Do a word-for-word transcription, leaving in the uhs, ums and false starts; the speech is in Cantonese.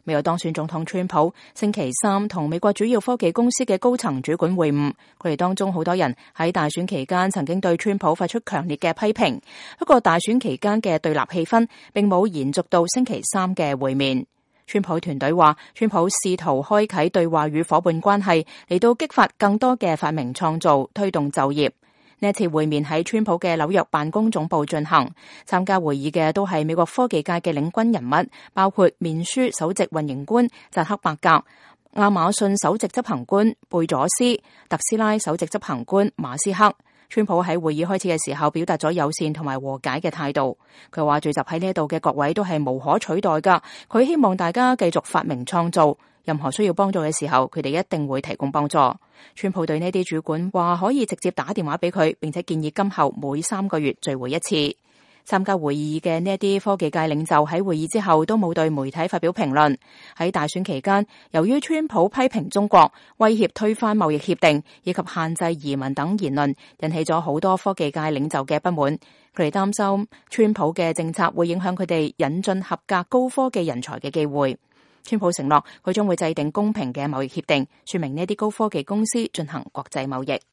美國當選總統川普星期三同美國主要科技公司嘅高層主管會晤，佢哋當中好多人喺大選期間曾經對川普發出強烈嘅批評。不過大選期間嘅對立氣氛並冇延續到星期三嘅會面。川普團隊話，川普試圖開啟對話與夥伴關係，嚟到激發更多嘅發明創造，推動就業。呢一次會面喺川普嘅紐約辦公總部進行，參加會議嘅都係美國科技界嘅領軍人物，包括面書首席運營官扎克伯格、亞馬遜首席執行官貝佐斯、特斯拉首席執行官馬斯克。川普喺會議開始嘅時候表達咗友善同埋和解嘅態度，佢話聚集喺呢度嘅各位都係無可取代噶，佢希望大家繼續發明創造。任何需要幫助嘅時候，佢哋一定會提供幫助。川普對呢啲主管話可以直接打電話俾佢，並且建議今後每三個月聚會一次。參加會議嘅呢啲科技界領袖喺會議之後都冇對媒體發表評論。喺大選期間，由於川普批評中國、威脅推翻貿易協定以及限制移民等言論，引起咗好多科技界領袖嘅不滿。佢哋擔心川普嘅政策會影響佢哋引進合格高科技人才嘅機會。川普承諾佢將會制定公平嘅貿易協定，說明呢啲高科技公司進行國際貿易。